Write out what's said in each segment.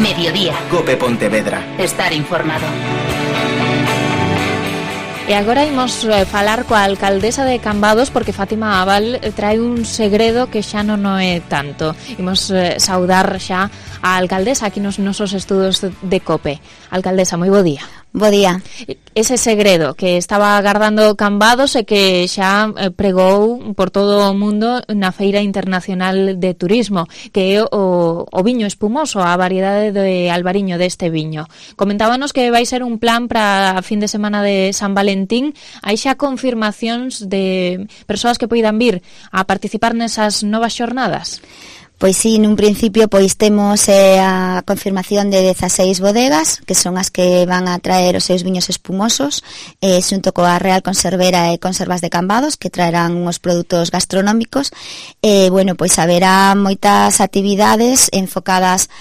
Mediodía. COPE Pontevedra. Estar informado. E agora imos falar coa alcaldesa de Cambados, porque Fátima Abal trae un segredo que xa non é tanto. Imos saudar xa a alcaldesa aquí nos nosos estudos de COPE. Alcaldesa, moi bo día. Bo día. Ese segredo que estaba agardando Cambados e que xa pregou por todo o mundo na Feira Internacional de Turismo, que é o viño espumoso, a variedade de albariño deste viño. Comentábanos que vai ser un plan para a fin de semana de San Valentín. Hai xa confirmacións de persoas que poidan vir a participar nesas novas xornadas? Pois sí, nun principio pois temos a confirmación de 16 bodegas, que son as que van a traer os seus viños espumosos, xunto coa Real Conservera e Conservas de Cambados, que traerán uns produtos gastronómicos. Bueno, pois haberá moitas actividades enfocadas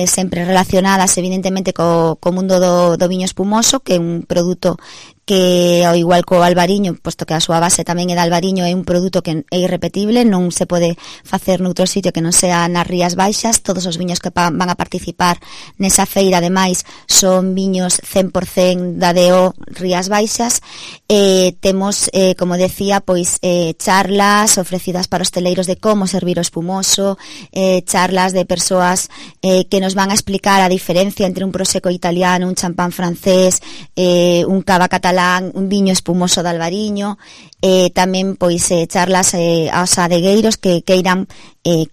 sempre relacionadas evidentemente co mundo do viño espumoso, que é un produto que ao igual co albariño, posto que a súa base tamén é de albariño, é un produto que é irrepetible, non se pode facer noutro sitio que non sea nas Rías Baixas. Todos os viños que van a participar nesa feira, ademais, son viños 100% da DO Rías Baixas. Temos, como decía, pois charlas ofrecidas para hosteleiros de como servir o espumoso, charlas de persoas que nos van a explicar a diferencia entre un prosecco italiano, un champán francés, un cava catalán, un viño espumoso de albariño, tamén pois charlas aos adegueiros que queiran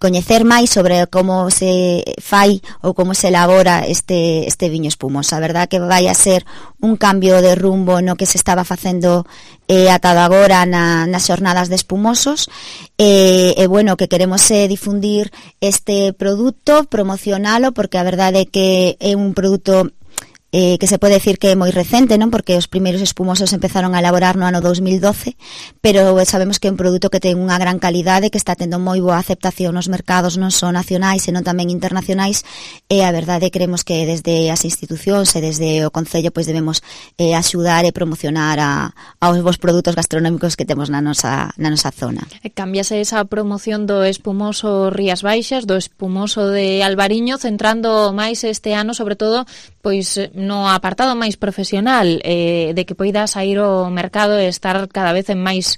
coñecer máis sobre como se fai ou como se elabora este viño espumoso. A verdad que vai a ser un cambio de rumbo no que se estaba facendo ata agora nas xornadas de espumosos, e bueno, que queremos difundir este produto, promocionalo, porque a verdade é que é un produto que se pode decir que é moi recente, non? Porque os primeiros espumosos empezaron a elaborar no ano 2012, pero sabemos que é un produto que ten unha gran calidade, que está tendo moi boa aceptación nos mercados non só nacionais, senón tamén internacionais, e a verdade creemos que desde as institucións e desde o Concello pois debemos axudar e promocionar aos vos produtos gastronómicos que temos na nosa zona. Cambiase esa promoción do espumoso Rías Baixas, do espumoso de albariño, centrando máis este ano, sobre todo, pois no apartado máis profesional, de que poida sair ao mercado e estar cada vez en máis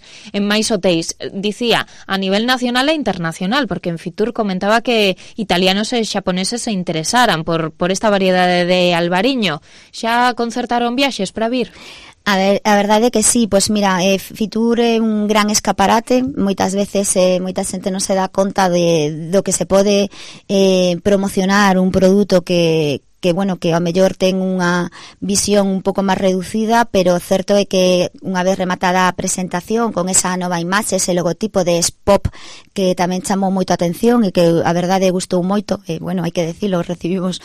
hotéis. Dicía, a nivel nacional e internacional, porque en Fitur comentaba que italianos e xaponeses se interesaran por esta variedade de albariño. Xa concertaron viaxes para vir? A verdade é que sí, pois mira, Fitur é un gran escaparate, moitas veces moita xente non se dá conta do que se pode promocionar un produto que bueno, que ao mellor ten unha visión un pouco máis reducida, pero certo é que unha vez rematada a presentación con esa nova imaxe, ese logotipo de Spop, que tamén chamou moito a atención e que a verdade gustou moito, bueno, hai que decirlo, recibimos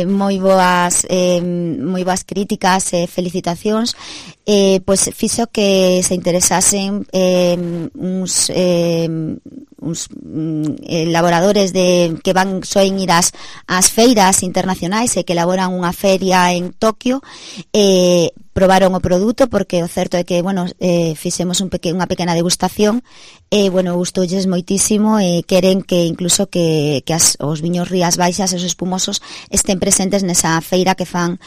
moi boas críticas e felicitacións, pois fixo que se interesasen uns elaboradores que soen ir ás feiras internacionais e que elaboran unha feria en Tokio, probaron o produto, porque o certo é que, bueno, fixemos unha pequena degustación e, bueno, gustoulles moitísimo e queren que incluso que os viños Rías Baixas e os espumosos estén presentes nesa feira que fan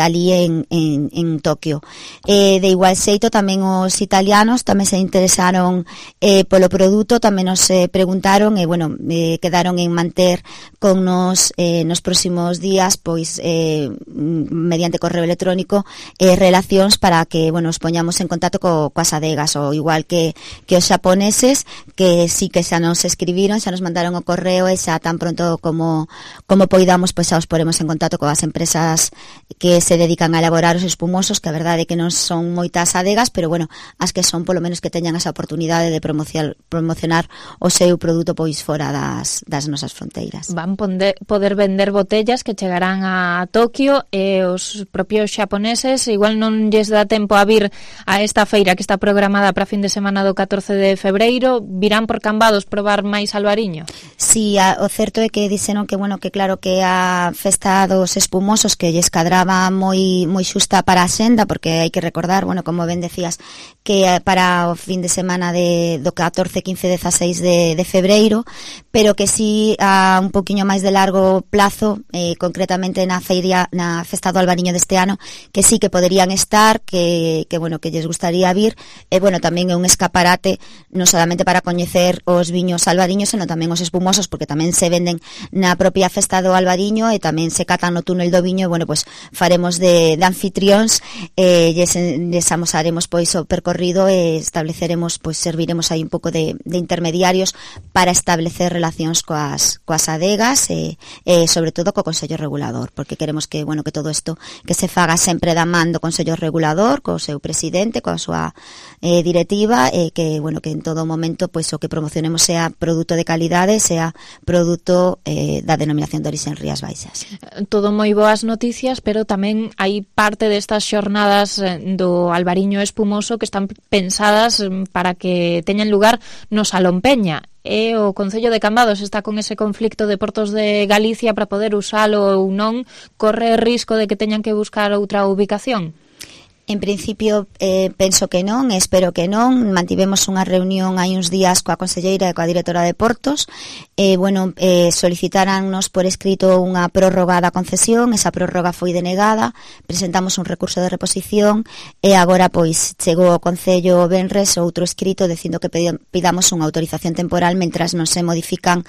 ali en Tokio. De igual xeito, tamén os italianos tamén se interesaron polo produto, tamén nos preguntaron e, bueno, quedaron en manter con nos próximos días, pois, mediante correo electrónico, relacións para que, bueno, os poñamos en contacto coas adegas, ou igual que os xaponeses, que sí que xa nos escribiron, xa nos mandaron o correo, e xa tan pronto como poidamos, pois xa os poremos en contacto coas empresas que se dedican a elaborar os espumosos, que a verdade é que non son moitas adegas, pero, bueno, as que son, polo menos que teñan esa oportunidade de promocionar o seu produto pois fora das nosas fronteiras. Van poder vender botellas que chegarán a Tokio, e os propios xaponeses igual igual non lles dá tempo a vir a esta feira que está programada para fin de semana do 14 de febreiro, virán por Cambados probar máis albariño? Sí, o certo é que dixeron que, bueno, que claro que a festa dos espumosos que lles cadraba moi xusta para a xenda, porque hai que recordar, bueno, como ben decías, que para o fin de semana do 14, 15, 16 de febreiro, pero que sí a un poquinho máis de largo plazo, concretamente na festa do albariño deste ano, que sí que poderían estar, que bueno, que lles gustaría vir, e bueno, tamén é un escaparate non solamente para coñecer os viños albariños, senón tamén os espumosos, porque tamén se venden na propia festa do albariño e tamén se catan no túnel do viño, e bueno, pues faremos de anfitrións, lles amosaremos pois o percorrido e estableceremos, pois serviremos aí un pouco de intermediarios para establecer relacións coas adegas e sobre todo co Consello Regulador, porque queremos que, bueno, que todo isto que se faga sempre da man do Consello Regulador, co seu presidente, coa súa directiva, que, bueno, que en todo momento pois o que promocionemos sea produto de calidade, sea produto da denominación de orixe en Rías Baixas. Todo moi boas noticias, pero tamén hai parte destas xornadas do albariño espumoso que están pensadas para que teñan lugar no Salón Peña. E o Concello de Cambados está con ese conflicto de Portos de Galicia para poder usalo ou non, corre risco de que teñan que buscar outra ubicación? En principio, penso que non, espero que non. Mantivemos unha reunión hai uns días coa conselleira e coa directora de Portos. Solicitarannos por escrito unha prórroga da concesión, esa prórroga foi denegada, presentamos un recurso de reposición e agora pois chegou ao Concello venres outro escrito dicindo que pidamos unha autorización temporal mentras non se modifican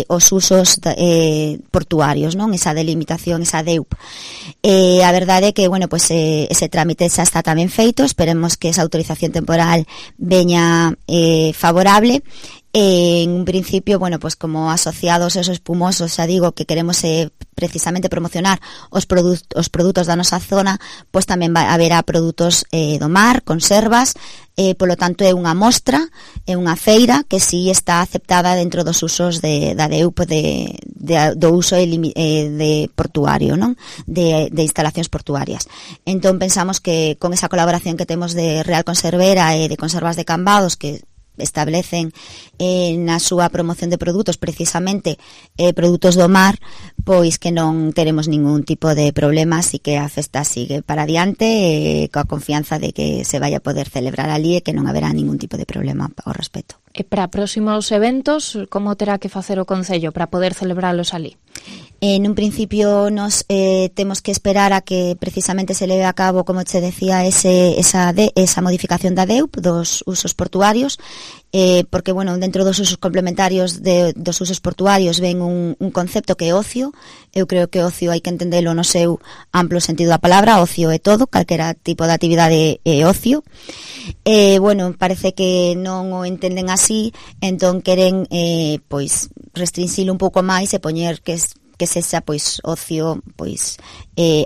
os usos portuarios, non? Esa delimitación, esa DEUP. A verdade é que, bueno, pois ese trámite xa está tamén feito, esperemos que esa autorización temporal veña favorable. En un principio, bueno, pues como asociados esos espumosos, xa digo que queremos precisamente promocionar os produtos da nosa zona, pues tamén haberá produtos do mar, conservas, polo tanto é unha mostra, é unha feira que sí está aceptada dentro dos usos da DEUP do uso de portuario, non? De instalacións portuarias. Entón pensamos que con esa colaboración que temos de Real Conservera e de Conservas de Cambados, que establecen na súa promoción de produtos precisamente produtos do mar, pois que non teremos ningún tipo de problemas e que a festa sigue para adiante coa confianza de que se vai a poder celebrar ali e que non haberá ningún tipo de problema ao respecto. E para próximos eventos, como terá que facer o Concello para poder celebralos ali? En un principio nos temos que esperar a que precisamente se leve a cabo, como che decía, esa modificación da DEUP dos usos portuarios, porque, bueno, dentro dos usos complementarios dos usos portuarios ven un concepto que é ocio. Eu creo que ocio hai que entendelo no seu amplo sentido da palabra. Ocio é todo, calquera tipo de actividade é ocio. Bueno, parece que non o entenden así, entón queren pois restrinxilo un pouco máis e poñer que sexa pois ocio pois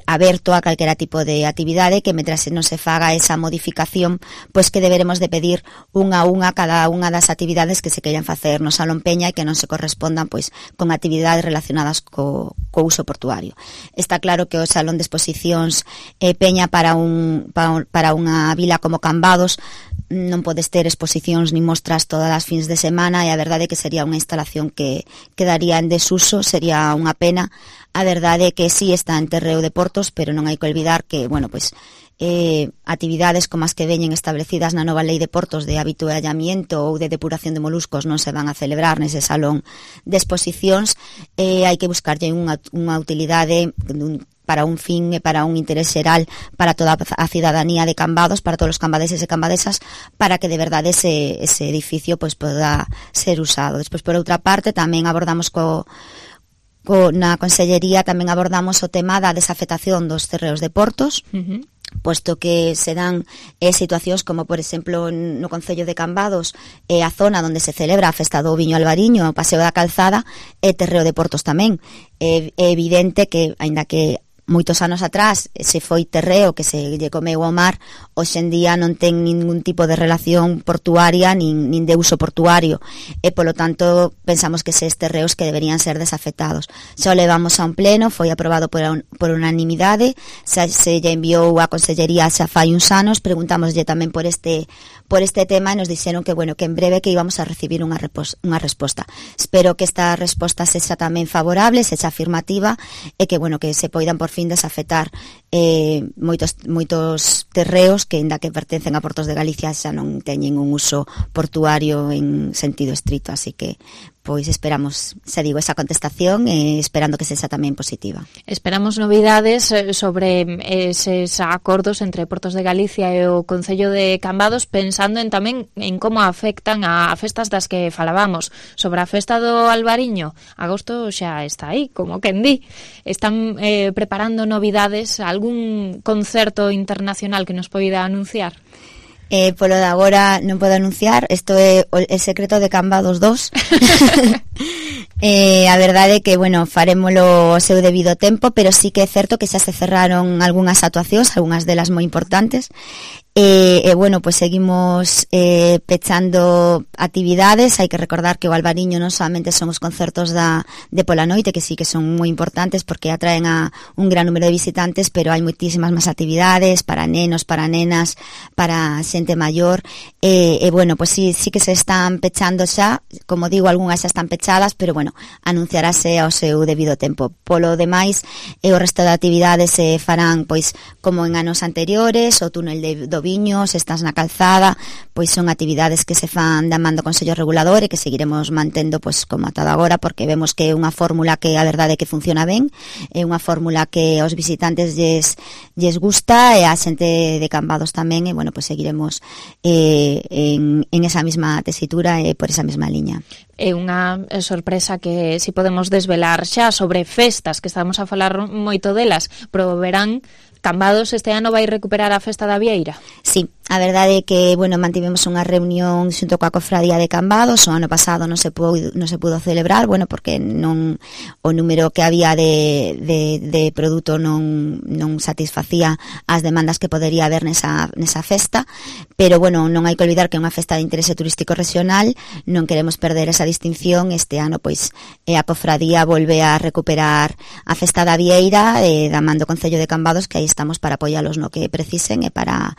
aberto a calquera tipo de actividade, que mentras non se faga esa modificación, pois que deberemos de pedir unha a unha cada unha das actividades que se queiran facer no Salón Peña e que non se correspondan pois con actividades relacionadas co uso portuario. Está claro que o Salón de Exposicións Peña para unha vila como Cambados non podes ter exposicións ni mostras todas as fins de semana, e a verdade é que sería unha instalación que quedaría en desuso, sería unha pena. A verdade é que sí está en Terreo de Portos, pero non hai que olvidar que, bueno, pois actividades como as que veñen establecidas na nova lei de portos de habituallamiento ou de depuración de moluscos non se van a celebrar nese salón de exposicións. Hai que buscarlle unha utilidade para un fin e para un interés xeral para toda a cidadanía de Cambados, para todos os cambadeses e cambadesas, para que de verdade ese edificio pois poda ser usado. Despois, por outra parte, tamén abordamos na Consellería tamén abordamos o tema da desafectación dos terreos de Portos, posto que se dan situacións como, por exemplo, no Concello de Cambados, a zona onde se celebra a festa do viño albariño, o Paseo da Calzada, e Terreo de Portos tamén. É evidente que, aínda que moitos anos atrás se foi terreo que se lle comeu ao mar, hoxe en día non ten ningún tipo de relación portuaria nin de uso portuario, e polo tanto pensamos que ses terreos que deberían ser desafectados. Xa o levamos a un pleno, foi aprobado por unanimidade, se lle enviou a Consellería xa fai uns anos, preguntámoslle tamén por este tema e nos dixeron que en breve que íbamos a recibir unha resposta. Espero que esta resposta sexa tamén favorable, sexa afirmativa e que se poidan por fin desafectar moitos terreos que, ainda que pertencen a Portos de Galicia, xa non teñen un uso portuario en sentido estrito, así que pois esperamos, esa contestación esperando que sexa tamén positiva. Esperamos novidades sobre eses acordos entre Portos de Galicia e o Concello de Cambados, pensando tamén en como afectan a festas das que falábamos. Sobre a festa do Albariño, agosto xa está aí, como quen di. Están preparando novidades, algún concerto internacional que nos poida anunciar? Polo de agora non podo anunciar, isto é o secreto de Cambados 2. A verdade é que, farémolo ao seu debido tempo, pero sí que é certo que xa se cerraron algunhas actuacións, algunhas delas moi importantes, pois seguimos pechando actividades. Hai que recordar que o Albariño non solamente son os concertos de pola noite, que sí que son moi importantes porque atraen a un gran número de visitantes, pero hai moitísimas máis actividades para nenos, para nenas, para xente maior, pois sí que se están pechando xa, como digo, algunhas xa están pechadas, pero anunciarase ao seu debido tempo. Polo demais, o resto de actividades se farán pois como en anos anteriores, o túnel do Viño, se estás na calzada, pois son actividades que se fan da man do Consello Regulador e que seguiremos mantendo pois como ata agora, porque vemos que é unha fórmula que a verdade é que funciona ben, é unha fórmula que aos visitantes lles gusta e a xente de Cambados tamén, e pois seguiremos en esa mesma tesitura e por esa mesma liña. É unha sorpresa que si podemos desvelar xa sobre festas, que estamos a falar moito delas, pero verán, Cambados este ano vai recuperar a festa da Vieira? Sí, a verdade é que, mantivemos unha reunión xunto coa Cofradía de Cambados. O ano pasado non se pudo celebrar, porque o número que había de produto non satisfacía as demandas que podería haber nesa festa, pero, non hai que olvidar que é unha festa de interese turístico regional, non queremos perder esa distinción. Este ano, pois, a Cofradía volve a recuperar a festa da Vieira, da man do Concello de Cambados, que aí estamos para apoialos no que precisen e para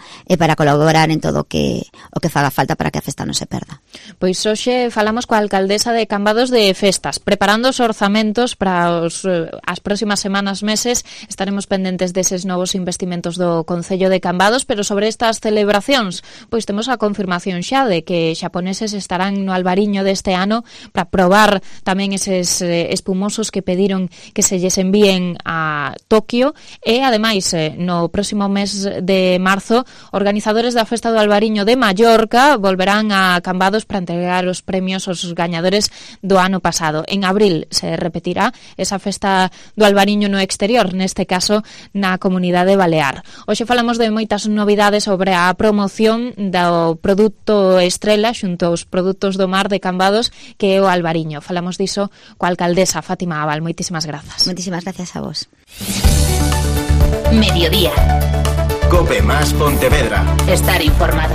colaborar en todo o que faga falta para que a festa non se perda. Pois hoxe falamos coa alcaldesa de Cambados de festas, preparando os orzamentos para as próximas semanas, meses. Estaremos pendentes deses novos investimentos do Concello de Cambados, pero sobre estas celebracións, pois temos a confirmación xa de que xaponeses estarán no Albariño deste ano para probar tamén eses espumosos que pediron que se lles envíen a Tokio, e ademais no próximo mes de marzo, organizadores da Festa do Albariño de Mallorca volverán a Cambados para entregar os premios aos gañadores do ano pasado. En abril se repetirá esa Festa do Albariño no exterior, neste caso na Comunidade Balear. Hoxe falamos de moitas novidades sobre a promoción do produto estrela xunto aos produtos do mar de Cambados, que é o Albariño. Falamos diso coa alcaldesa Fátima Abal. Moitísimas grazas. Moitísimas gracias a vos. Mediodía. COPE más Pontevedra. Estar informado.